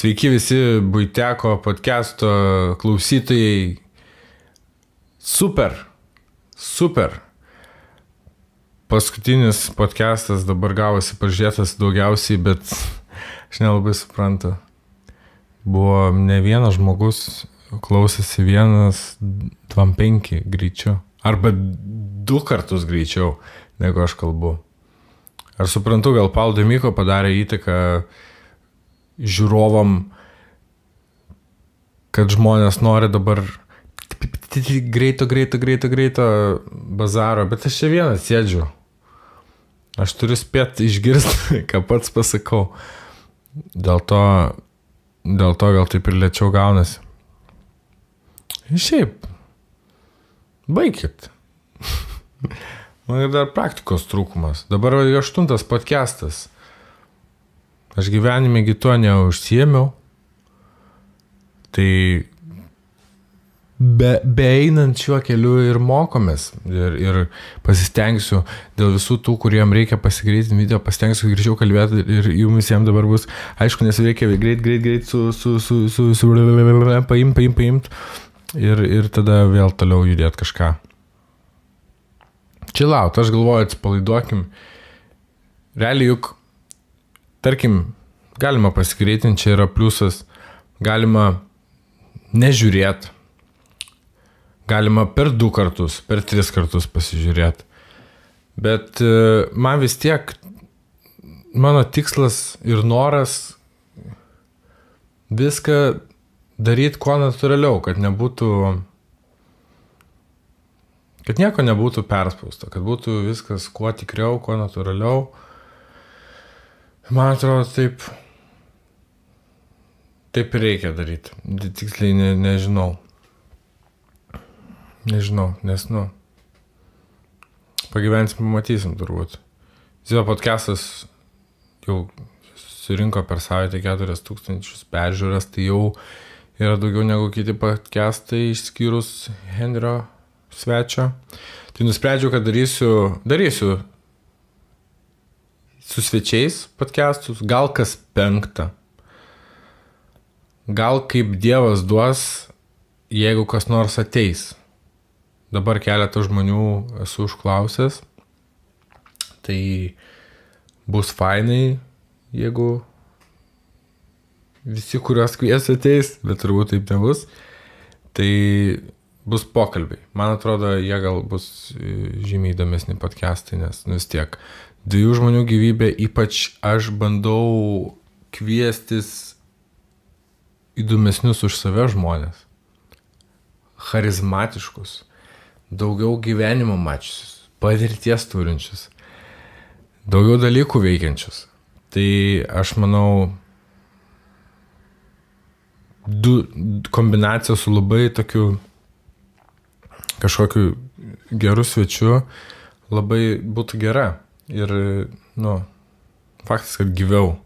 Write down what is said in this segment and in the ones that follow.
Sveiki visi Buiteko podcast'o klausytojai. Super. Paskutinis podcast'as dabar gavosi pažiūrėtas daugiausiai, bet aš nelabai suprantu. Buvo ne vienas žmogus, klausėsi 1.25 greičiau. Arba 2 kartus greičiau, negu aš kalbu. Ar suprantu, gal Paulo Demiko padarė įtaką žiūrovam, kad žmonės nori dabar greito bazaro, bet aš čia vienas sėdžiu. Aš turiu spėti išgirsti, ką pats pasakau. Dėl to gal taip ir lėčiau gaunasi. Ir šiaip, baikit. Man dar praktikos trūkumas. Dabar 8 podcastas. Aš gyvenime gi tuo neužsiėmiau. Tai beeinant šiuo keliu ir mokomės. Ir pasistengsiu dėl visų tų, kuriem reikia pasigreitinti video, pasistengsiu greičiau kalbėti ir jums visiems dabar bus aišku, nes reikia greit paimt ir tada vėl toliau judėti kažką. Chillaut, aš galvoju, atsipalaiduokim. Realiai juk, tarkim, galima pasigreitinti, čia yra pliusas, galima nežiūrėti, galima per 2 kartus, per 3 kartus pasižiūrėti. Bet man vis tiek, mano tikslas ir noras viską daryti kuo natūraliau, kad nieko nebūtų perspausta, kad būtų viskas kuo tikriau, kuo natūraliau. Man atrodo, taip reikia daryti. Tiksliai nežinau. Nes, pagyvensim, pamatysim turbūt. Zio podcastas jau surinko per savaitę 4000 peržiūras, tai jau yra daugiau negu kiti podcastai, išskyrus Henrio svečio. Tai nusprendžiau, kad darysiu su svečiais podcastus, gal kas 5. Gal kaip Dievas duos, jeigu kas nors ateis. Dabar keletą žmonių esu užklausęs. Tai bus fainai, jeigu visi, kuriuos kvies ateis, bet turbūt taip nebus. Tai bus pokalbiai. Man atrodo, jie gal bus žymiai įdomesni podcastai, nes vis tiek 2 žmonių gyvybė, ypač aš bandau kviestis įdomesnius už save žmonės. Charizmatiškus, daugiau gyvenimo mačiusius, patirties turinčius, daugiau dalykų veikiančius. Tai aš manau, 2 kombinacijos su labai tokiu kažkokiu geru svečiu labai būtų gera. Ir, faktas, kad gyviau,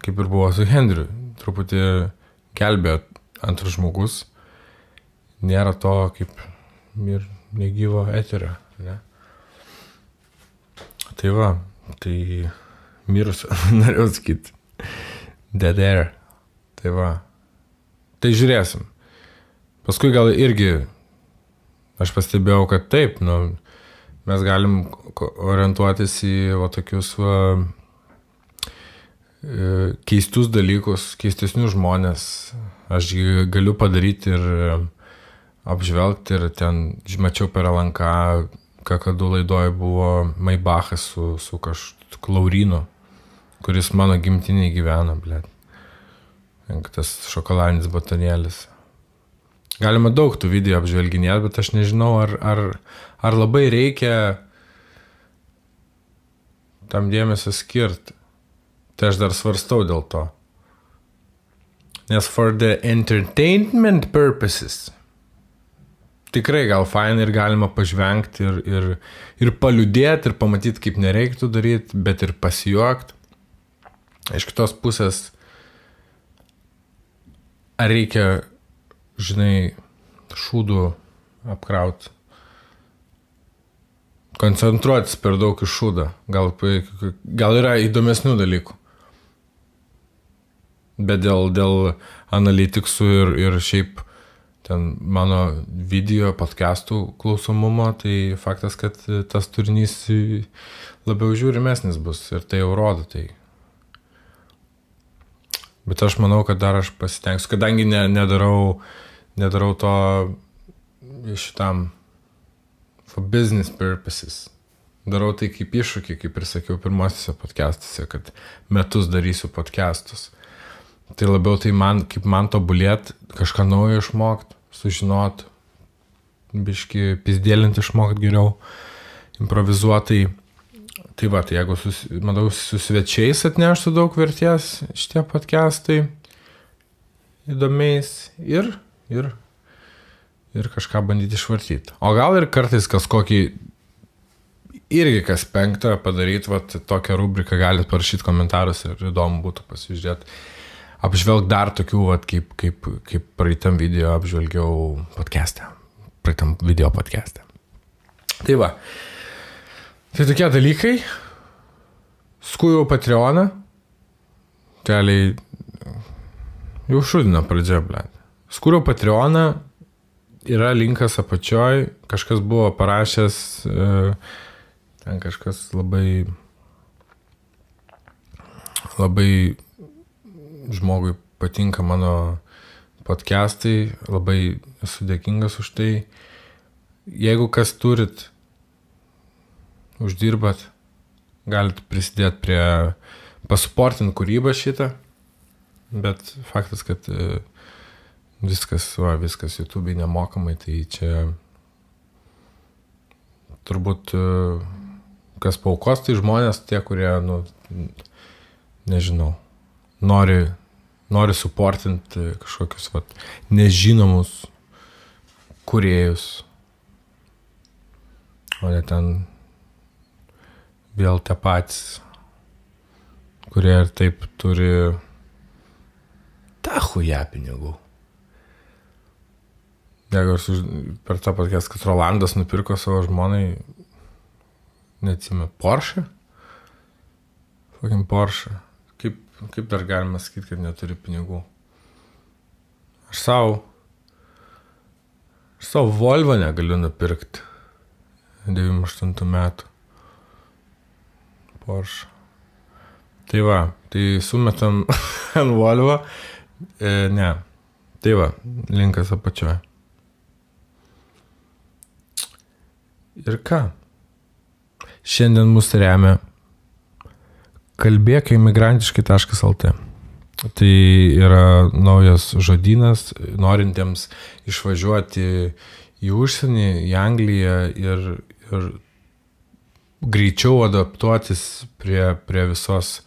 kaip ir buvo su Henriu, truputį gelbėjo antras žmogus. Nėra to kaip ir negyvo eterio, ne? Tai va, tai mirusio, norėjau sakyti. Dead air. Tai va. Tai žiūrėsim. Paskui gal irgi aš pastebėjau, kad taip, mes galim orientuotis į tokius keistus dalykus, keistesnius žmonės. Aš galiu padaryti ir apžvelgti ir ten, mačiau per LNK, kakadu laidoje buvo Maybachas su Laurynu, kuris mano gimtiniai gyvena, blėt. Tas šokoladinis batonėlis. Galima daug tų video apžvelginėti, bet aš nežinau, ar labai reikia tam dėmesio skirti. Tai aš dar svarstau dėl to. Nes for the entertainment purposes tikrai gal fainai ir galima pažvengti ir paliūdėti ir pamatyti, kaip nereiktų daryti, bet ir pasijuokti. Iš kitos pusės, ar reikia, šūdų apkrauti. Koncentruotis per daug iš šūdą. Gal yra įdomesnių dalykų. Bet dėl analitiksų ir šiaip ten mano video podcastų klausomumo, tai faktas, kad tas turinys labiau žiūrimesnis bus ir tai jau rodo tai. Bet aš manau, kad dar aš pasitengsiu, kadangi nedarau to šitam for business purposes. Darau tai kaip iššūkį, kaip ir sakiau pirmosiuose podcastuose, kad metus darysiu podcastus. Tai labiau tai kaip man tobulėt, kažką naujo išmokt, sužinot, biški pizdėlinti išmokt geriau, improvizuotai. Tai va, tai jeigu manau, su svečiais atneštų daug vertės šitie podcastai įdomiais ir kažką bandyti išvartyti. O gal ir kartais kokį irgi kas penktą padaryti, va, tokią rubriką galite parašyti komentarus ir įdomu būtų pasižiūrėti. Apžvelg dar tokių, va, kaip praeitam video apžvelgiau podcast'e. Praeitam video podcast'e. Tai va. Tai tokie dalykai. Skujau Patreoną. Realiai jau šudino pradžia, blėt. Skujau Patreoną. Yra linkas apačioj. Kažkas buvo parašęs, ten kažkas labai žmogui patinka mano podcastai, labai esu dėkingas už tai. Jeigu kas turit, uždirbat, galit prisidėti prie pasuportinti kūrybą šitą, bet faktas, kad viskas YouTube'ai nemokamai, tai čia turbūt kas paukos, tai žmonės tie, kurie, nežinau, nori suportinti kažkokius nežinomus kūrėjus, o ne ten vėl tie patys, kurie ir taip turi tą chuja pinigų. Jeigu per tą podcast, kad Rolandas nupirko savo žmonai, neatsime, Porsche? Fucking Porsche. Kaip dar galima sakyti, kad neturi pinigų? Aš savo Volvo negaliu nupirkti 98 metų. Porsche. Tai va, tai sumetam ant Volvo. Ne. Tai va, linkas apačioje. Ir ką? Šiandien mus remia kalbėkimigrantiškai.lt. Tai yra naujas žodynas norintiems išvažiuoti į užsienį, į Angliją ir greičiau adaptuotis prie visos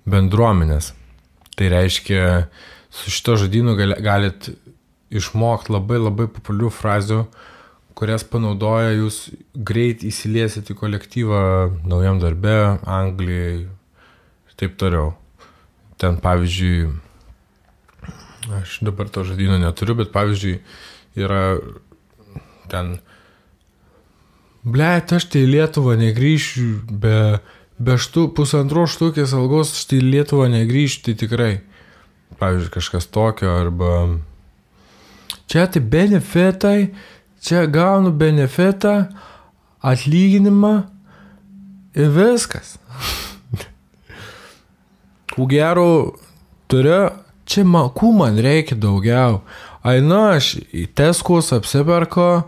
bendruomenės. Tai reiškia, su šito žodynu galit išmokti labai populiarių frazių, kurias panaudoja jūs greit įsiliesit į kolektyvą naujam darbe, Anglijai ir taip toliau. Ten, pavyzdžiui, aš dabar to žodyno neturiu, bet pavyzdžiui, yra ten blet, aš tai į Lietuvą negrįšiu be 1,5 štukės algos, aš tai į Lietuvą negrįšiu, tai tikrai. Pavyzdžiui, kažkas tokio, arba čia tai benefitai, čia gaunu benefitą, atlyginimą ir viskas. Kų gero turiu, čia kų man reikia daugiau. Ainu, aš į Teskus apsiperku,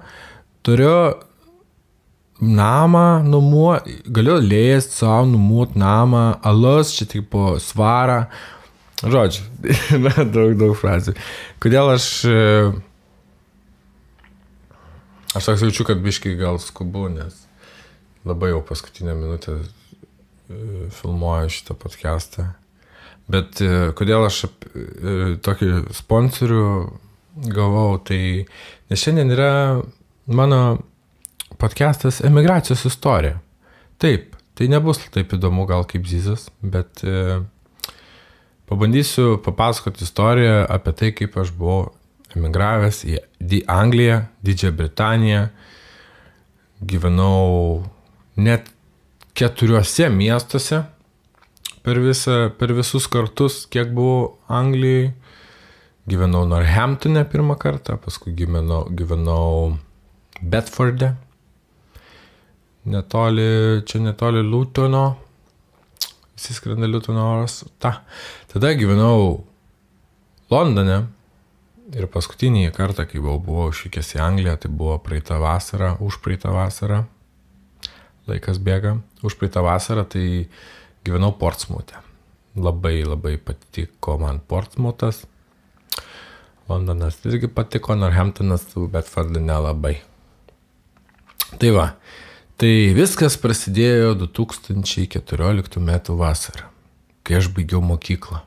turiu namą numuoti, galiu leist savo numuoti namą, alus čia tik po svarą. Žodžiu, daug frazių. Kodėl aš toks jaučiu, kad biškai gal skubu, nes labai jau paskutinę minutę filmuoju šitą podcastą. Bet kodėl aš tokį sponsorių gavau, tai nes šiandien yra mano podcastas Emigracijos istorija. Taip, tai nebus taip įdomu gal kaip Zizas, bet pabandysiu papasakoti istoriją apie tai, kaip aš buvau emigravęs į Angliją, Didžiąją Britaniją. Gyvenau net 4 miestuose per visus kartus, kiek buvau Anglijai. Gyvenau Northamptone pirmą kartą, paskui gyvenau Bedforde. Netoli Lutono. Visi skrenda Lutono oras. Tada gyvenau Londone. Ir paskutinį kartą, kai buvau išvykęs į Angliją, tai buvo užpraeitą vasarą. Laikas bėga. Užpraeitą vasarą tai gyvenau Portsmouthe. Labai, labai patiko man Portsmouthas. Londonas irgi patiko, Northamptonas, Bedforde nelabai. Tai va, tai viskas prasidėjo 2014 metų vasarą, kai aš baigiau mokyklą.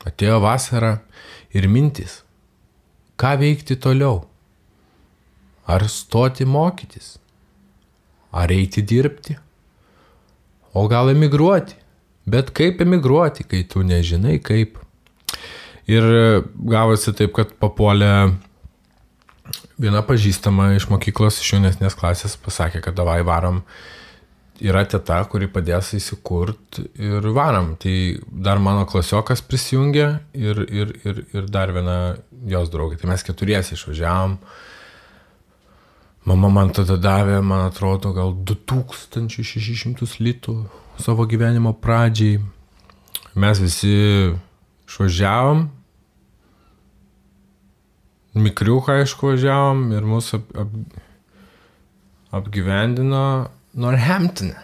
Atėjo vasara ir mintis, ką veikti toliau. Ar stoti mokytis, ar eiti dirbti, o gal emigruoti. Bet kaip emigruoti, kai tu nežinai kaip. Ir gavosi taip, kad papuolė viena pažįstama iš mokyklos, iš jaunesnės klasės, pasakė, kad davai varom. Yra teta, kuri padės įsikurt ir varom. Tai dar mano klasiokas prisijungė ir dar viena jos draugė. Tai mes keturiesi išvažiavom. Mama man tada davė, man atrodo, gal 2600 litų savo gyvenimo pradžiai. Mes visi išvažiavom. Mikriuką išvažiavom ir mūsų apgyvendino Northamptone.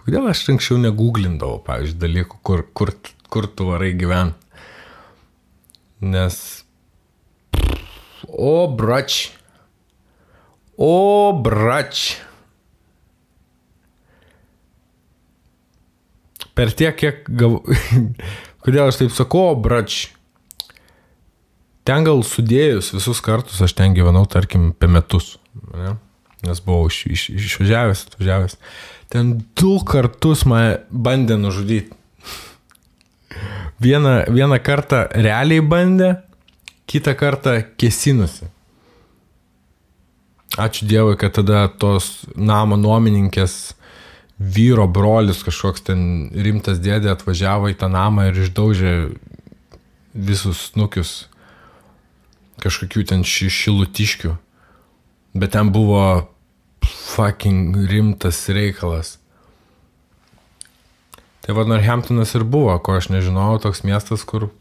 Kodėl aš anksčiau negooglindavau, pavyzdžiui, dalykų, kur tu varai gyventi? Nes O brač. Per tiek, kiek kodėl aš taip sakau, brač. Ten gal sudėjus visus kartus, aš ten gyvenau, tarkim, apie metus. Ne? Nes buvau išvažiavęs. Ten 2 kartus mane bandė nužudyti. Vieną kartą realiai bandė, kitą kartą kėsinusi. Ačiū Dievui, kad tada tos namo nuomininkės vyro brolis, kažkoks ten rimtas dėdė atvažiavo į tą namą ir išdaužė visus snukius kažkokių ten šilutiškių. Bet ten buvo fucking rimtas reikalas. Tai va Northamptonas ir buvo, ko aš nežinojau, toks miestas, kur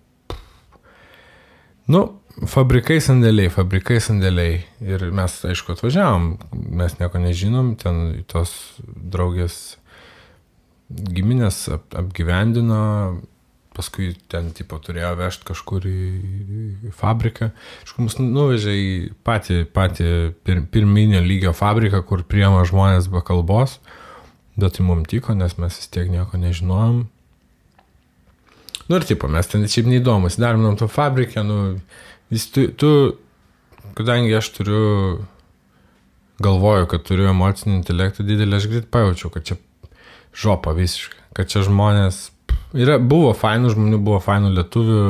fabrikai sandėliai. Ir mes, aišku, atvažiavom, mes nieko nežinom, ten tos draugės giminės apgyvendino, paskui ten tipo turėjo vežti kažkur į fabriką. Aišku, mus nuvežė į patį pirminio lygio fabriką, kur priima žmonės be kalbos, bet tai mums tiko, nes mes vis tiek nieko nežinojom. Ir tipo, mes ten šiaip neįdomus, darbinom to fabrikę, kadangi aš galvoju, kad turiu emocinį intelektą didelį, aš greit pajaučiau, kad čia žopa visiškai, kad čia žmonės, buvo fainų žmonių, buvo fainų lietuvių,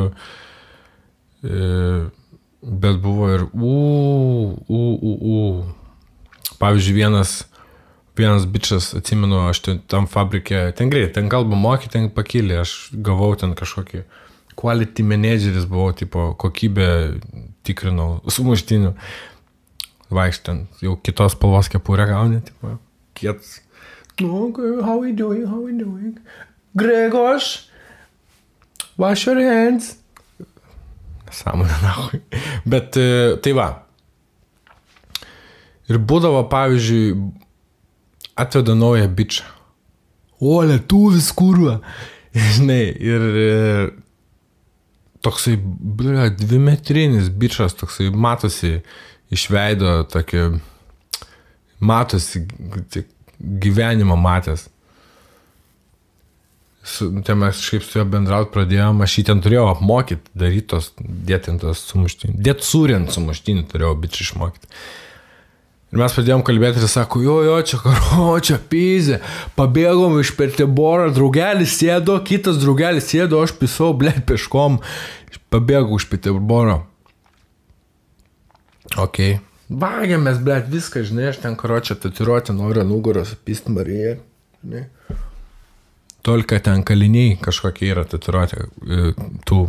bet buvo ir Pavyzdžiui, vienas bičas, atsimenu, aš tam fabrike, ten greit, ten kalbą mokė, ten pakilė, aš gavau ten kažkokį quality manageris, buvau, tipo, kokybę tikrinau, sumuštinių, vaikštant, jau kitos spalvos kepurę gauni, tipo, kiets. How we doing? Gregos, wash your hands. Sąmonė, nahui. Bet tai va. Ir būdavo, pavyzdžiui, atveda naują bičą. O, lietuvis, kurva. Žinai, ir toksai, 2-metrinis bičas, toksai matosi iš veido, tokį, matosi gyvenimą matęs. Ten mes šiaip su juo bendraut pradėjom, aš jį ten turėjau apmokyti, darytos, dėtintos sumuštinių. Dėt surint sumuštinių turėjau bičį išmokyti. Ir mes pradėjom kalbėti ir sako, jo, čia karo, čia pizė, pabėgom iš Peterboro, draugelis sėdo, kitas draugelis sėdo, aš pisau, peškom, pabėgau iš Peterboro. Ok, vagiamės, blėt, viską, žinai, aš ten karočią tatuiruoti noriu nugaros apist Mariją, žinai. Tolka ten kaliniai kažkokie yra tatuiruoti, tų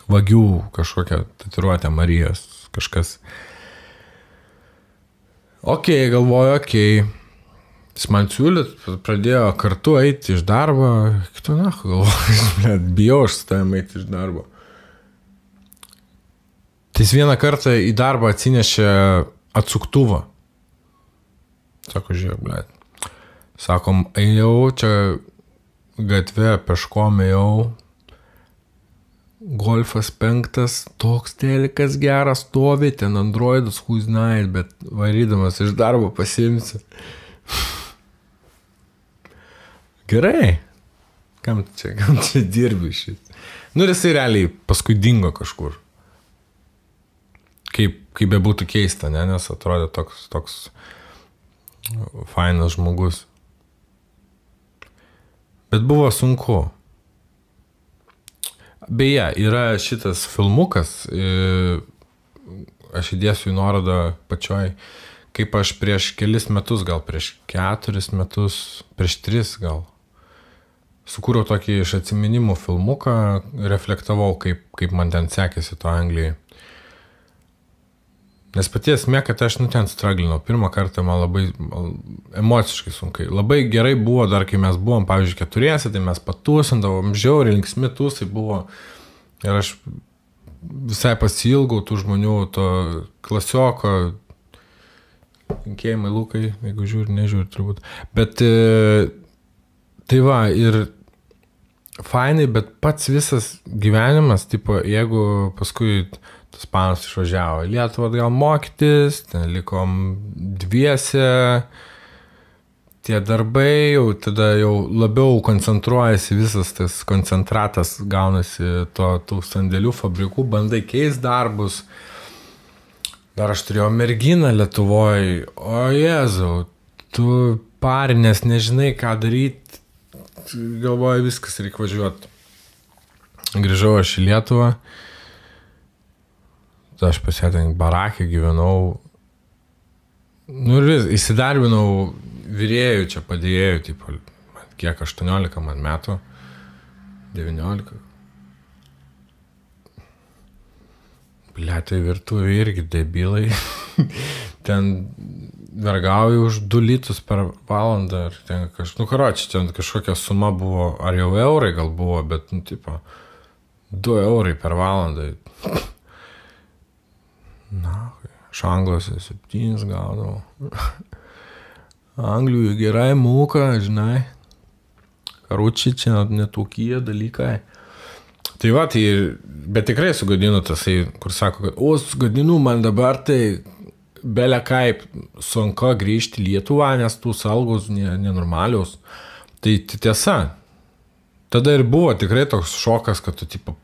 vagių kažkokią tatuiruotę Marijos, kažkas. Galvoju, Jis man siūlėt, pradėjo kartu eiti iš darbo, galvoju, bijau aš su tavim eiti iš darbo. Tai jis vieną kartą į darbą atsinešė atsuktuvą. Sako, žiūrėk, Sakom, ėjau čia gatvė, peškom ėjau, Golfas 5, toks telikas geras stovi, ten Androidas, who's night, bet varydamas iš darbo pasiimsi. Gerai. Kam čia dirbi šit? Ir jisai realiai paskui dingo kažkur. Kaip bebūtų keista, ne? Nes atrodė toks fainas žmogus. Bet buvo sunku. Beje, yra šitas filmukas, aš įdėsiu į nuorodą pačioj, kaip aš prieš kelis metus, gal prieš 4 metus, prieš 3 gal, sukūriau tokį iš atsiminimų filmuką, reflektavau, kaip man ten sekėsi to Anglijai. Nes pati esmė, kad aš ten straglinau. Pirmą kartą man labai emociškai sunkai. Labai gerai buvo dar, kai mes buvom, pavyzdžiui, 4, tai mes patūsindavom, žiauriai linksmi tūsai buvo. Ir aš visai pasilgau tų žmonių, to klasioko, linkėjimai Lukai, jeigu nežiūri turbūt. Bet tai va, ir fainai, bet pats visas gyvenimas, tipo, jeigu paskui tas panas išvažiavo į Lietuvą atgal mokytis, ten likom dviese, tie darbai, tada jau labiau koncentruojasi visas tas koncentratas, gaunasi tų sandėlių fabrikų, bandai keist darbus. Dar aš turėjau merginą Lietuvoje, o Jėzau, tu parinės, nežinai ką daryti, galvoju, viskas reikia važiuoti. Grįžau aš į Lietuvą, aš pasėtent barakį gyvenau, ir įsidarbinau vyrėjų, čia padėjėjų, tipo, kiek 18 man metų, 19. Bliatai virtuvė irgi debilai, ten vergauju už 2 litus per valandą, ar ten ten kažkokia suma buvo, ar jau eurai gal buvo, bet, tipo, 2 eurai per valandą. Iš Anglijos 7 gaudavau. Anglijų gerai mūka, žinai. Karučiai čia netokie dalykai. Tai va, bet tikrai sugadinu tasai, kur sako, kad sugadinu man dabar, tai belia kaip sunku grįžti į Lietuvą, nes tų algos nenormalios. Tai tiesa. Tada ir buvo tikrai toks šokas, kad tu tipo,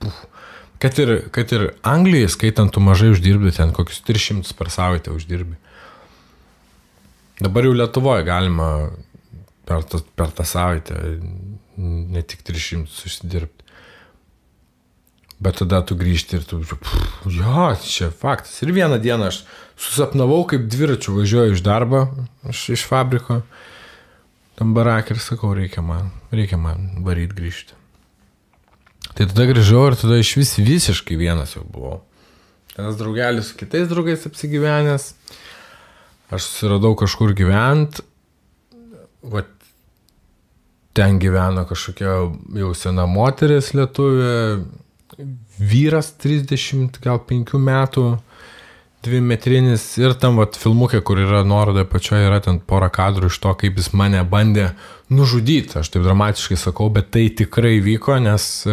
Kad ir Anglijai, skaitant, tu mažai uždirbi, ten kokius 300 per savaitę uždirbi. Dabar jau Lietuvoje galima per tą savaitę ne tik 300 užsidirbti. Bet tada tu grįžti ir tu, čia faktas. Ir vieną dieną aš susapnavau, kaip dviračiu važiuoju iš darbo, iš fabriko, tam barakį ir sakau, reikia man varyt grįžti. Tai tada grįžau ir tada iš visiškai vienas jau buvau. Vienas draugelis su kitais draugais apsigyvenęs. Aš susiradau kažkur gyvent. Va, ten gyveno kažkokia jau sena moteris lietuvė. Vyras 30, gal 5 metų. 2-metrinis. Ir tam vat, filmukė, kur yra nuoroda pačioje, yra ten porą kadrų iš to, kaip jis mane bandė nužudyti. Aš taip dramatiškai sakau, bet tai tikrai vyko, nes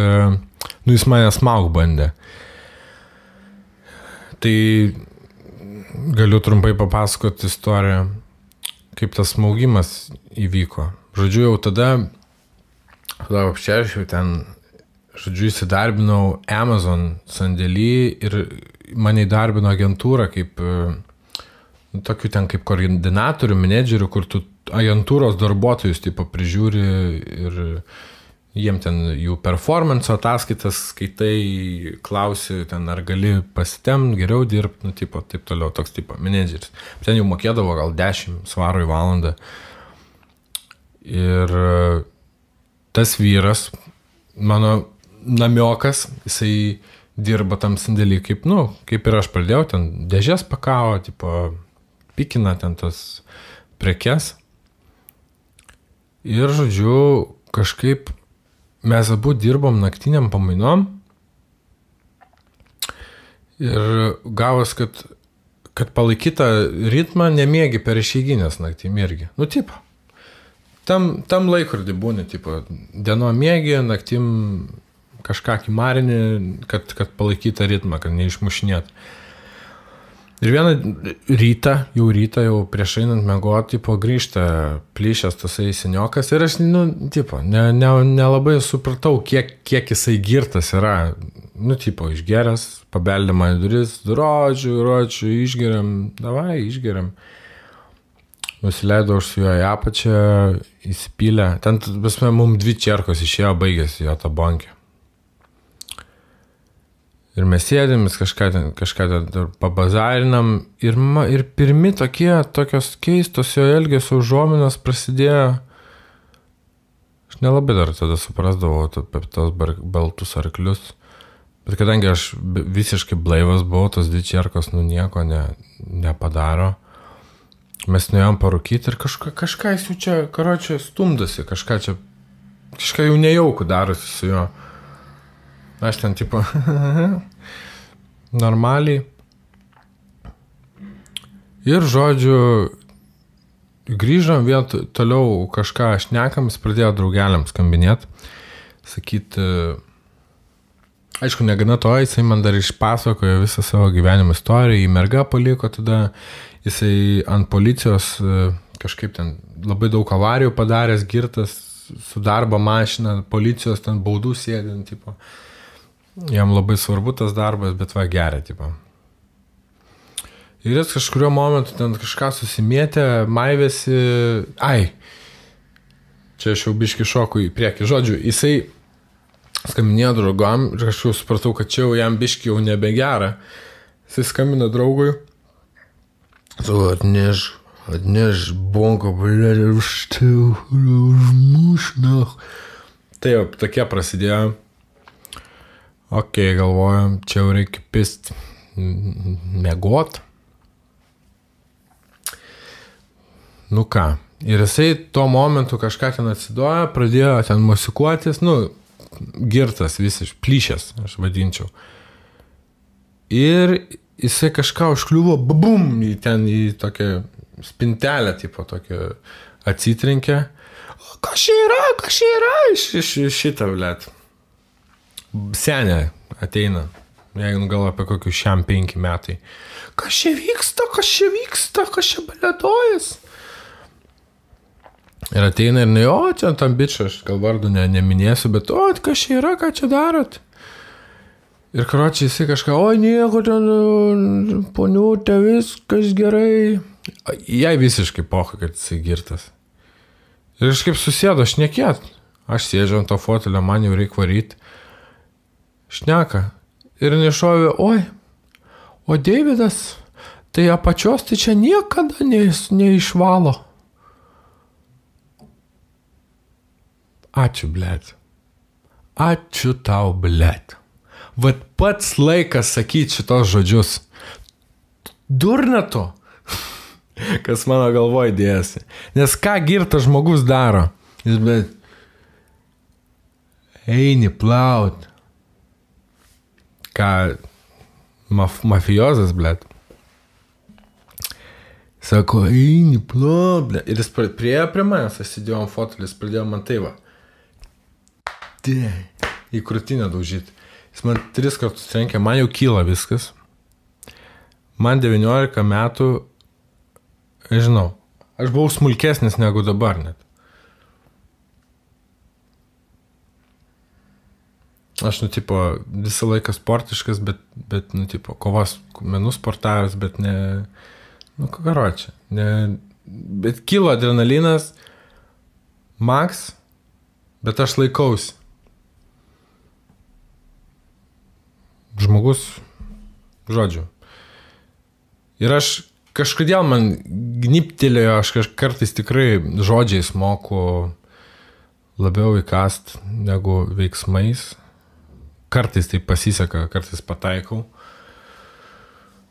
jis mane smaug bandė. Tai galiu trumpai papasakoti istoriją, kaip tas smaugimas įvyko. Žodžiu, jau tada aš jau ten, įsidarbinau Amazon sandėly ir mane įdarbino agentūrą kaip tokiu ten kaip koordinatorių, menedžerių, kur tu agentūros darbuotojus tipo prižiūri ir jiem ten jų performance ataskaitas skaitai, klausi ten, ar gali pasitemti, geriau dirbti, nu, tipo, taip toliau, toks tipo menedžeris. Ten jau mokėdavo gal 10 svarų į valandą. Ir tas vyras, mano namiokas, jisai dirba tam sandėlį, kaip ir aš pradėjau, ten dėžės pakavo, tipo, pikina ten tas prekes. Ir, žodžiu, kažkaip mes abu dirbom naktiniam pamainom ir gavos, kad palaikytą ritmą nemiegi per išeiginės naktim irgi. Nu, tipo, tam laikrodį būni, tipo, dienom miegi, naktim kažką kimarini, kad palaikytą ritmą, kad neišmušinėt. Ir vieną rytą, jau prieš einant miegoti, tipo, grįžta plyšęs tasai seniokas ir aš, tipo, nelabai supratau, kiek jisai girtas yra. Nu, tipo, išgeręs, pabeldė man į duris, rodžiu, išgeriam, davai, išgeriam. Nusileidau aš su juo į apačią, įsipylę. Ten, pasme, mums 2 čerkos išėjo, baigėsi jo ta bonkė. Ir mes sėdėmis, kažką ten pabazarinam ir pirmi tokios keistos jo elgesio užuominos prasidėjo. Aš nelabai dar tada suprasdavau apie tos baltus arklius. Bet kadangi aš visiškai blaivas buvau, tos 2 čerkos nieko nepadaro. Mes nuėjom parūkyti ir kažką jis jau čia, karočią, stumdosi, kažką jau nejaukų darosi su juo. Aš ten, tipo, normaliai. Ir, žodžiu, grįžom vėl toliau kažką šnekam, jis pradėjo draugeliams skambinėti, sakyti, aišku, negana to, jisai man dar išpasakojo visą savo gyvenimo istoriją, į mergą paliko, tada jisai ant policijos kažkaip ten labai daug avarijų padaręs, girtas, su darbo mašina, policijos ten baudų sėdint, tipo. Jam labai svarbu tas darbas, bet va geria, tipo. Ir jis kažkurio momentu ten kažką susimėtė, maivėsi, čia aš jau biški šoku į priekį. Žodžiu, jisai skambinėjo draugam ir aš jau supratau, kad čia jau jam biški jau nebegera. Jisai skambino draugui. Atneš bonko, blėdė, užmušnach. Tai jau tokie prasidėjo. Ok, galvojam, čia jau reikia pist miegot. Nu ką, ir jisai tuo momentu kažką ten atsidojo, pradėjo ten musikuotis, girtas visiškai, plyšęs, aš vadinčiau. Ir jisai kažką užkliuvo, bum, į tokią spintelę, tipo, tokią atsitrinkę. Kas čia yra, šitą, blėt. Senė ateina, jeigu gal apie kokius 5 metai. Kas čia vyksta, kas čia balėtojas? Ir ateina ir čia tam bičą, aš gal vardu neminėsiu, bet kas čia yra, ką čia darot? Ir karočiai jisai kažką, nieko ten, poniutė, viskas gerai. Jai visiškai pocha, kad jisai girtas. Ir aš kaip susėdo, šnekėt. Aš sėdžiu ant to fotelio, man jau reikia varyti. Šneka. Ir nešovė, o Deividas, tai apačios tai čia niekada neišvalo. Ačiū, blėt. Ačiū tau, blėt. Vat pats laikas sakyti šitos žodžius. Durna to, kas mano galvoj dėjasi. Nes ką girtas žmogus daro? Jis, blėt, eini plaut. Ką mafiozas, blėt. Sako, eini plaut, blėt. Ir jis priejo prie manęs, aš sėdėjau ant fotelį, jis pradėjo man tai va. Į krūtinę daužyti. Jis man 3 kartus trenkė, man jau kyla viskas. Man 19 metų, žinau, aš buvau smulkesnis negu dabar net. Aš, tipo, visą laiką sportiškas, bet tipo, kovos menų sportavęs, bet ne, karočią. Bet kilo adrenalinas, max, bet aš laikausi. žmogus, žodžiu. Ir aš kažkodėl man gniptelėjo, aš kartais tikrai žodžiais moku labiau įkast negu veiksmais. Kartais tai pasiseka, kartais pataikau.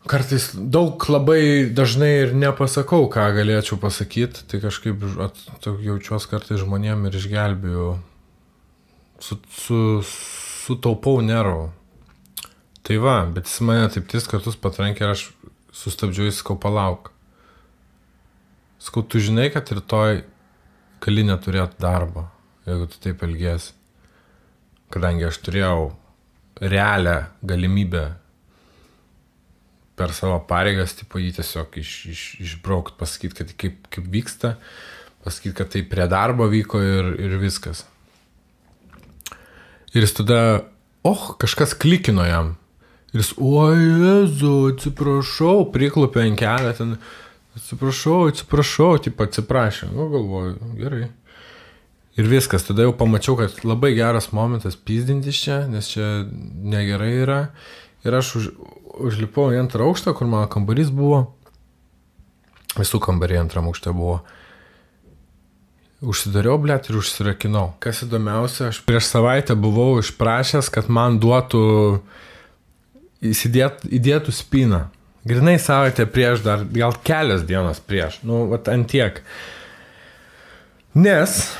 Kartais daug labai dažnai ir nepasakau, ką galėčiau pasakyti, tai kažkaip jaučiuos kartais žmonėm ir išgelbėjau. Sutaupau nervų. Tai va, bet jis mane taip 3 kartus patrankė ir aš sustabdžiu, jis sakau, palauk. Sakau, tu žinai, kad rytoj gali neturėti darbo, jeigu tu taip elgiesi. Kadangi aš turėjau realią galimybę per savo pareigas, tipo, jį tiesiog išbraukt, pasakyti, kad kaip vyksta, pasakyti, kad tai prie darbo vyko ir viskas. Ir jis tada, kažkas klikino jam. Ir jis, Jezu, atsiprašau, priklupė ant kelio, ten, atsiprašau, tipo, atsiprašė. Galvoju, gerai. Ir viskas, tada jau pamačiau, kad labai geras momentas pyzdintis čia, nes čia negerai yra. Ir aš užlipau į 2 aukštą, kur mano kambarys buvo. Visų kambariai 2 aukšte buvo. Užsidariau, blėt, ir užsirakinau. Kas įdomiausia, aš prieš savaitę buvau išprašęs, kad man duotų įdėtų spyną. Grinai savaitę prieš, dar gal kelias dienas prieš. Ant tiek. Nes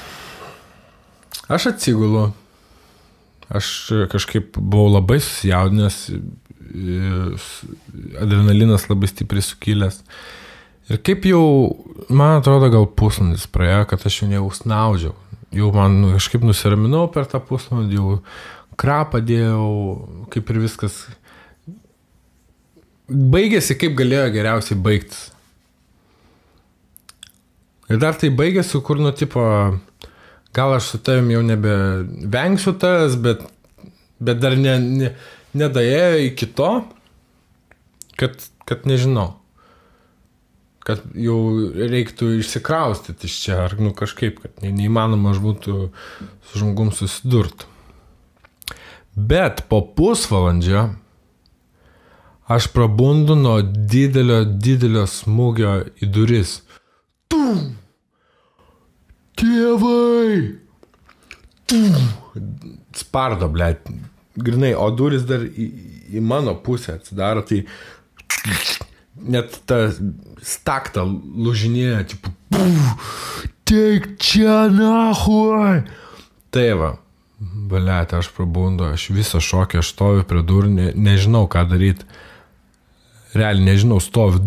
aš atsigulu. Aš kažkaip buvau labai susijaudinęs, adrenalinas labai stipriai sukilęs. Ir kaip jau, man atrodo, gal pusvalandis praėjo, kad aš jau neusnaudžiau. Jau man kažkaip nusiraminau per tą pusvalandį, jau krapą dėjau, kaip ir viskas. Baigėsi, kaip galėjo geriausiai baigtis. Ir dar tai baigėsi, kur, tipo, gal aš su tavim jau nebevengsiu tas, bet dar nedaėjo iki to, kad nežinau. Kad jau reiktų išsikraustyti iš čia, ar kažkaip, kad neįmanoma aš būtų su žmogum susidurti. Bet po pusvalandžio aš prabundu nuo didelio smūgio į duris. Tum! Tėvai! Tum! Spardo, blėt. Grinai, o duris dar į mano pusę atsidaro, tai net ta stakta lūžinėja, tipo, teik čia nahuoj. Tai va, blėt, aš prabundu, aš visą šokį, aš stoviu prie durų, nežinau ką daryti. Realiai nežinau, stoviu.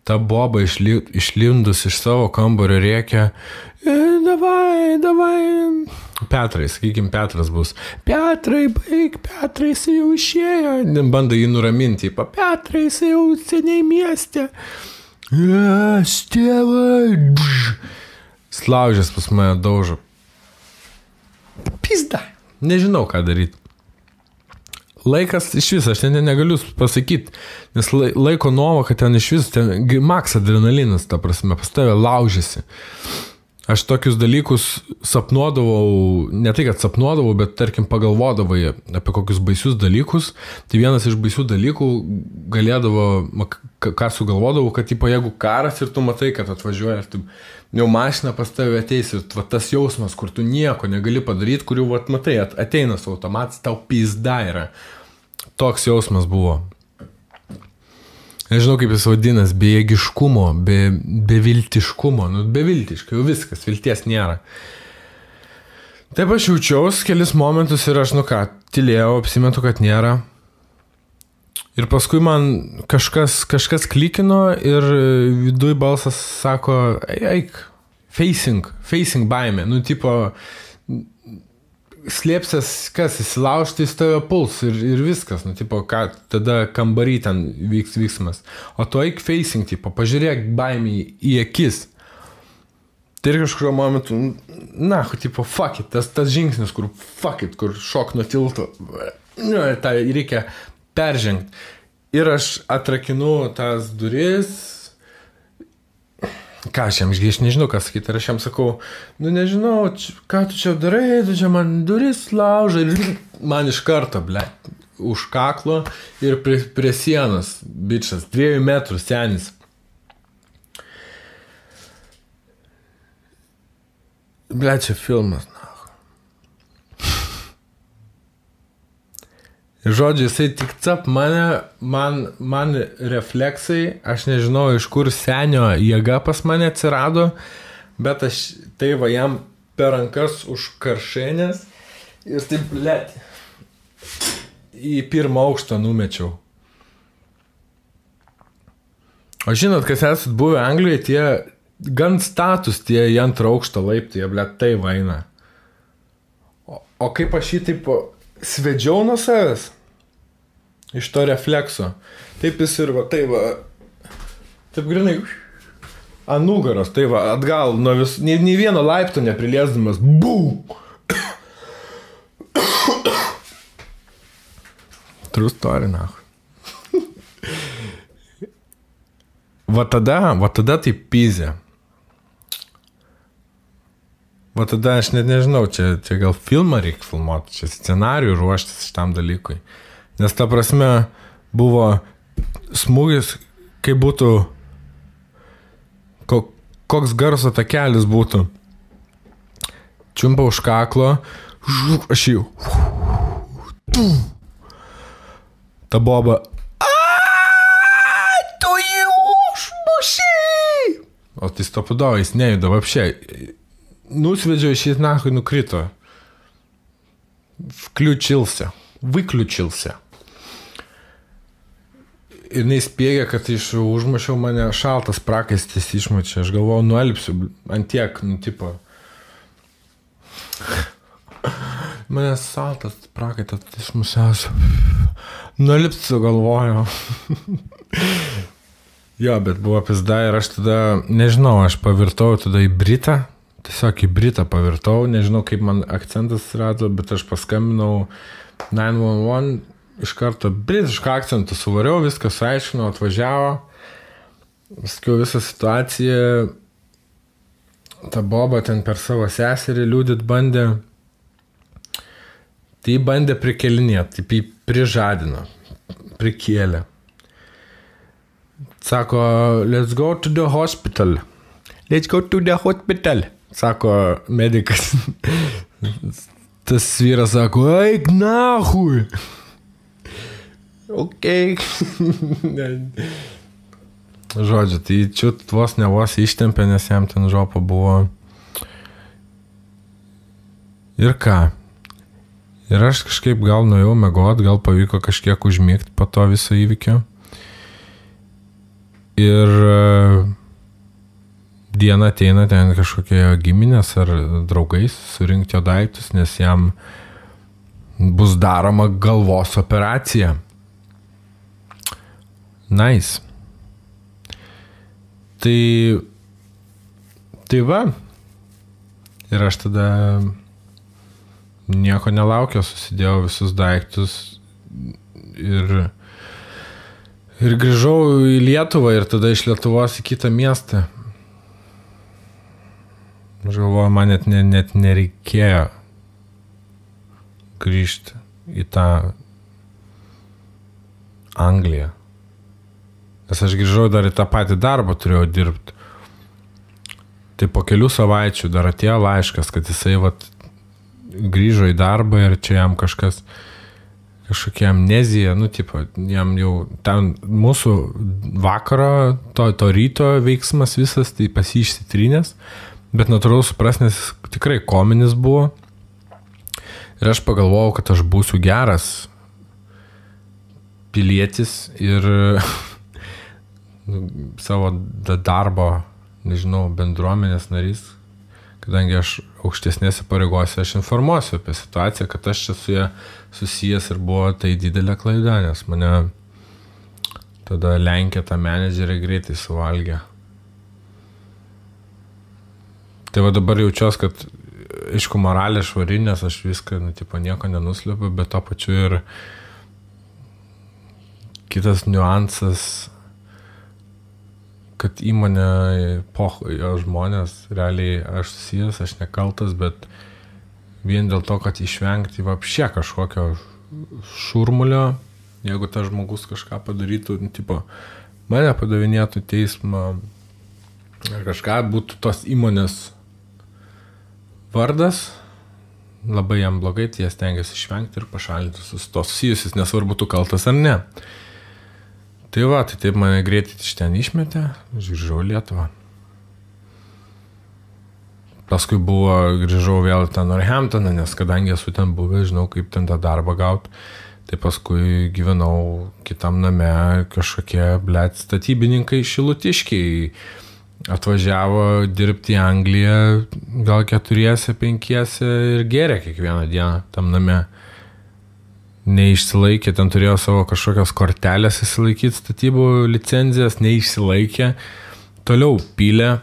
Ta boba išlindus iš savo kambario rėkia, davai. Petrai, sakykim, Petras bus. Petrai, baig, Petrai, jis jau išėjo. Bando jį nuraminti, Petrai, jis jau seniai mieste. Tėvai. Slaužęs pas mane daužo. Pizda. Nežinau, ką daryti. Laikas iš vis, aš ten negaliu pasakyti, nes laiko nuovoka ten iš vis, ten maks adrenalinas, ta prasme, pas tave laužėsi. Aš tokius dalykus sapnuodavau, ne tai, kad sapnuodavau, bet tarkim pagalvodavai apie kokius baisius dalykus. Tai vienas iš baisių dalykų galėdavo, ką sugalvodavau, kad tipo, jeigu karas ir tu matai, kad atvažiuoja, ir tu jau mašina pas tave ateis ir tas jausmas, kur tu nieko negali padaryti, kur jau matai, ateina su automatas, tau pizda yra. Toks jausmas buvo. Nežinau, kaip jis vadinas, bejėgiškumo, beviltiškumo, beviltiškai, jau viskas, vilties nėra. Taip aš jaučiaus kelis momentus ir aš, tylėjau, apsimetu, kad nėra. Ir paskui man kažkas klikino ir viduj balsas sako, eik, facing baimė, tipo, slėpsės, kas įsilaužti į tave puls ir viskas, tipo, ką tada kambary ten vyksmas. O tu eik facing, tipo, pažiūrėk baimį į akis. Tai ir kažkurio momentu, tipo, fuck it, tas žingsnis, kur fuck it, kur šok nuo tilto, tai reikia peržengti. Ir aš atrakinu tas duris. Ką aš nežinau, ką sakyti. Ir aš jam sakau, nežinau, ką tu čia darai, tu čia man duris laužai. Ir man iš karto, už kaklo ir prie sienos, bičas, 2 metrų senis. Ble, čia filmas, na. Ir žodžiu, jisai tik cap man refleksai, aš nežinau, iš kur senio jėga pas mane atsirado, bet aš tai va jam per rankas už karšenės ir taip, blėt, į 1 aukštą numečiau. O žinot, kas esat buvę Anglijoje, tie gan status, tie į 2 aukštą laiptai, blėt, tai vaina. O kaip aš jį taip svedžiau nuo savęs, iš to reflekso, taip jis ir va, tai va, taip grinai, ant nugaros, tai va, atgal, nuo nei vieno laipto nepriliesdamas, bum! True story, na. Va tada tai pizė. Va tada aš net nežinau, čia gal filmą reikia filmuoti, čia scenarijų ruoštis šitam dalykui. Nes ta prasme buvo smūgis, kaip būtų, koks garso takelis būtų. Čiumpa už kaklo, aš jau. Ta boba. Tu jį užmušiai! O tai stopudavo, jis nejuda, vapšiai. Nusvedžiau iš jį nahui, nukrito. Vyključilse. Ir neįspėgė, kad užmušiau mane šaltas prakaistis išmučia. Aš galvojau, nuelpsiu ant tiek, tipo. Mane šaltas prakaitas išmušiausiu. Nuelpsiu galvojau. Jo, bet buvo pizda ir aš tada, nežinau, aš pavirtau tada į Britą. Tiesiog į Britą pavirtau, nežinau, kaip man akcentas rado, bet aš paskambinau 911, iš karto britišką akcentą suvariau, viską suaiškinau, atvažiavo, sakiau visą situaciją, ta boba ten per savo seserį liūdit bandė, tai bandė prikelinėti, taip jį prižadino, prikėlė. Sako, let's go to the hospital. Sako medikas. Tas vyras sako, eik nahui. Ok. Žodžiu, tai čiut vos ne vos ištempė, nes jam ten žopa buvo. Ir ką? Ir aš kažkaip gal nuėjau miegot, gal pavyko kažkiek užmigti po to viso įvykio. Ir dieną ateina ten kažkokie giminės ar draugais surinkti jo daiktus, nes jam bus daroma galvos operacija. Nice. Tai va. Ir aš tada nieko nelaukiau, susidėjau visus daiktus ir grįžau į Lietuvą ir tada iš Lietuvos į kitą miestą. Aš galvoju, man net nereikėjo grįžti į tą Angliją. Nes aš grįžau dar į tą patį darbą turėjau dirbti. Tai po kelių savaičių dar atėjo laiškas, kad jisai grįžo į darbą ir čia jam kažkokia amnezija, tipo, jam jau ten mūsų vakaro, to ryto veiksmas visas, tai pas jį išsitrynęs. Bet natūralu supras, nes tikrai kominis buvo. Ir aš pagalvojau, kad aš būsiu geras pilietis ir savo darbo, nežinau, bendruomenės narys, kadangi aš aukštesnėse pareigose, aš informuosiu apie situaciją, kad aš čia su ja susijęs ir buvo tai didelė klaida, nes mane tada Lenkija tą menedžerį greitai suvalgė. Tai va dabar jaučiuos, kad aišku moralė švari, nes aš viską, tipo, nieko nenuslėpiu, bet to pačiu ir kitas niuansas, kad įmonė, jo žmonės, realiai aš susijęs, aš nekaltas, bet vien dėl to, kad išvengti vapšė kažkokio šurmulio, jeigu tas žmogus kažką padarytų, tipo, mane padavinėtų teismą, ar kažką būtų tos įmonės vardas, labai jam blogai, tai jie stengiasi išvengti ir pašalinti su to susijusius, nesvarbu tu kaltas ar ne. Tai va, tai taip mane greitai iš ten išmetė, grįžau į Lietuvą. Paskui grįžau vėl į tą Northamptoną, nes kadangi esu ten buvęs, žinau, kaip ten tą darbą gauti. Tai paskui gyvenau kitam name, kažkokie, statybininkai šilutiškiai atvažiavo dirbti į Angliją, gal 4-5 ir gėrė kiekvieną dieną tam name. Neišsilaikė, ten turėjo savo kažkokios kortelės įsilaikyti, statybų licenzijas, neišsilaikė. Toliau pylė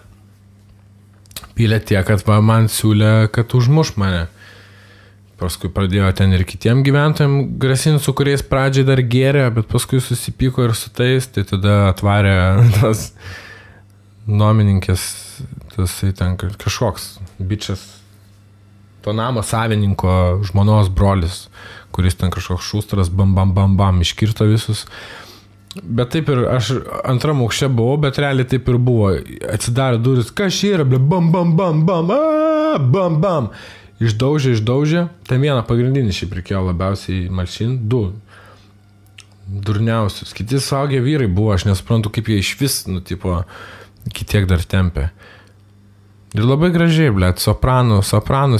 tiek, kad man siūlė, kad užmuš mane. Paskui pradėjo ten ir kitiem gyventojams grasinti, su kuriais pradžiai dar gėrė, bet paskui susipyko ir su tais, tai tada atvarė tas nuomininkės, tasai ten kažkoks bičias, to namo savininko žmonos brolis, kuris ten kažkoks šustras, bam, iškirto visus. Bet taip ir aš antram aukšte buvau, bet realiai taip ir buvo. Atsidarė duris, kas čia yra, bam. Išdaužė. Ten vieną pagrindinį šiaip reikėjo labiausiai malšinti, 2 durniausius. Kiti suaugę vyrai buvo, aš nesuprantu, kaip jie iš vis, kitiek dar tempė. Ir labai gražiai, sopranų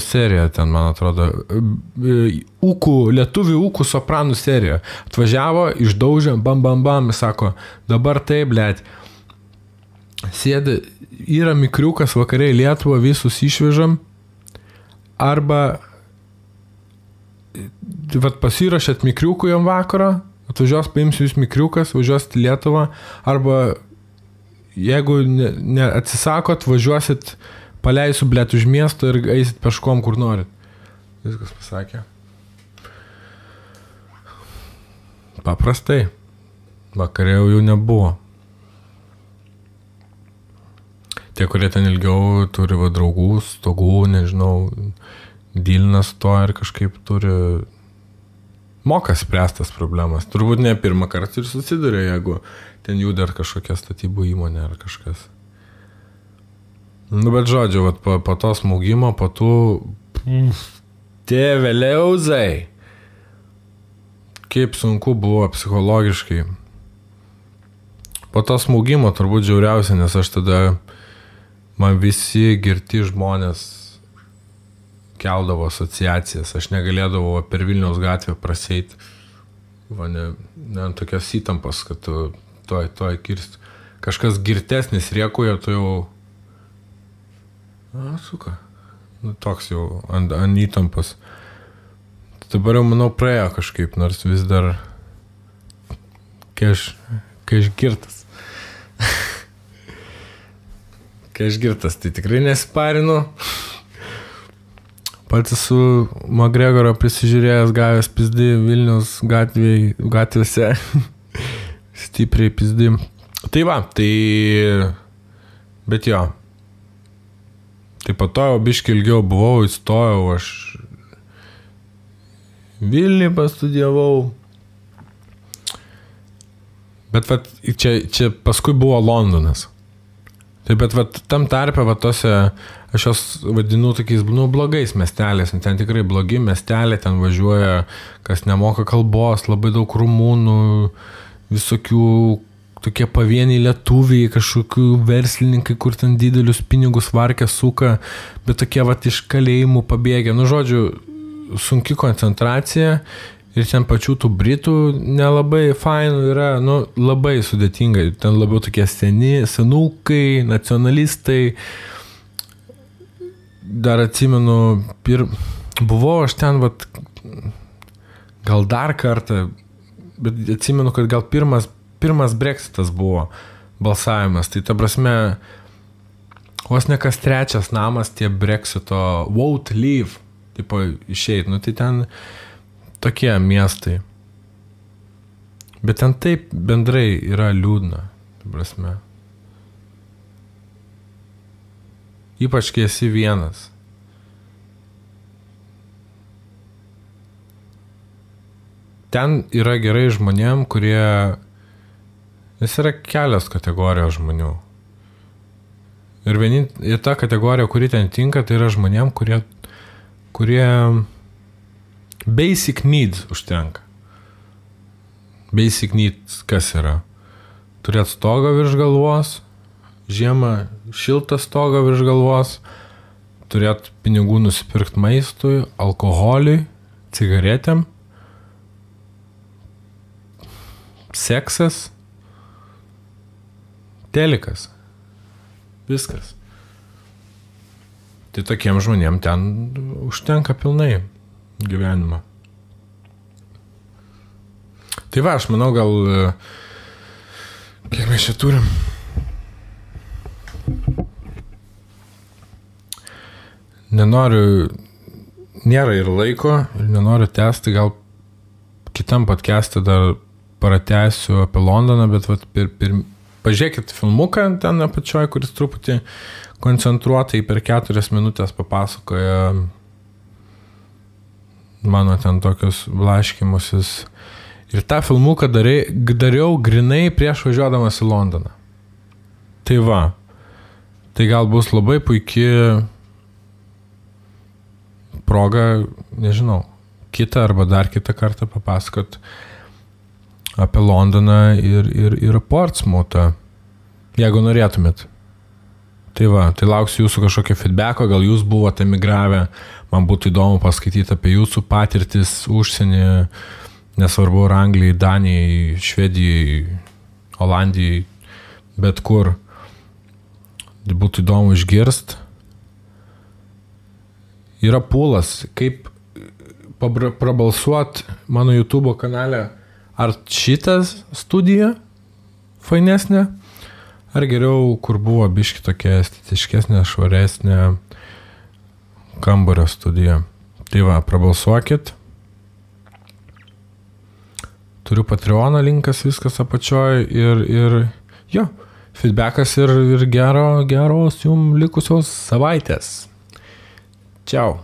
serija ten, man atrodo, lietuvių ūkų sopranų serija. Atvažiavo, išdaužė, bam, sako, dabar tai, sėdi, yra mikriukas vakariai Lietuvą, visus išvežam, arba pasirašėt mikriukų jam vakarą, atvažiuos, paimsiu jūs mikriukas, važiuosit į Lietuvą, arba jeigu atsisakot, važiuosit, paleisiu, už miesto ir eisit peškom, kur norit. Viskas pasakė. Paprastai. Vakarė jau nebuvo. Tie, kurie ten ilgiau turi draugų, stogų, nežinau, dylinas to ir kažkaip turi moka spręstas problemas. Turbūt ne pirmą kartą ir susiduria, jeigu ten jų dar kažkokia statybų įmonė ar kažkas. Bet žodžiu, po to smūgimo, po tų tėveliauzai, kaip sunku buvo psichologiškai. Po to smūgimo turbūt žiauriausia, nes aš tada man visi girti žmonės keldavo asociacijas. Aš negalėdavau per Vilniaus gatvę praseiti. Tokios įtampos, kad tu toj kirsti. Kažkas girtesnis riekuoja, tu jau... toks jau ant įtampos. Dabar jau, manau, praėjo kažkaip, nors vis dar kai aš girtas. Kai aš girtas, tai tikrai nesiparinu. Pats esu McGregoro prisižiūrėjęs, gavęs pizdi Vilniaus gatvėse. Stipriai pizdi. Tai va, bet jo. Tai po to jau biškį ilgiau buvau, įstojau, aš Vilnių pastudijavau. Bet čia paskui buvo Londonas. Taip, bet tam tarpe, tose, aš jos vadinu tokiais, blogais miesteliais, ten tikrai blogi miesteliai, ten važiuoja, kas nemoka kalbos, labai daug rumūnų, visokių tokie pavieniai lietuviai, kažkokių verslininkai, kur ten didelius pinigus varkę suka, bet tokie iš kalėjimų pabėgę. Žodžiu, sunki koncentracija. Ir ten pačių tų Britų nelabai fainų yra, labai sudėtingai. Ten labiau tokie senukai, nacionalistai. Dar atsimenu, buvau aš ten, gal dar kartą, bet atsimenu, kad gal pirmas Brexitas buvo balsavimas. Tai ta prasme, vos ne kas trečias namas tie Brexito vote leave, tipo išeit. Tai ten tokie miestai. Bet ten taip bendrai yra liūdna, ta prasme. Ypač kai esi vienas. ten yra gerai žmonėm, kurie... Vis yra kelios kategorijos žmonių. Ir ta kategorija, kuri ten tinka, tai yra žmonėm, kurie basic needs užtenka. Basic needs kas yra? Turėt stogą virš galvos, žiemą šiltą stogą virš galvos, turėt pinigų nusipirkt maistui, alkoholiui, cigaretėm, seksas, telikas. Viskas. Tai tokiem žmonėm ten užtenka pilnai gyvenimą. Tai va, aš manau, gal... Kiek mes čia turim? Nėra ir laiko, ir nenoriu tęsti, gal kitam podcast'e dar pratęsiu apie Londoną, bet vat, pažiūrėkit filmuką ten apačioj, kuris truputį koncentruotai per 4 minutės papasakoja mano ten tokius blaškymusis. Ir tą filmuką dariau grinai prieš važiuodamas į Londoną. Tai va, tai gal bus labai puikia proga, nežinau, kitą arba dar kitą kartą papasakot apie Londoną ir Portsmouthą, jeigu norėtumėt. Tai va, tai lauksiu jūsų kažkokio feedbacko, gal jūs buvote emigravę, man būtų įdomu paskaityti apie jūsų patirtis užsienį, nesvarbu, ar Anglijai, Danijai, Švedijai, Olandijai, bet kur. Būtų įdomu išgirst. Yra pūlas, kaip prabalsuot mano YouTube kanale, ar šitas studija fainesnė, ar geriau, kur buvo biški tokia estetiškesnė, švaresnė kambario studija. Tai va, prabalsuokit. Turiu Patreoną, linkas viskas apačioj ir jo, feedbackas ir geros jums likusios savaitės. Čiau.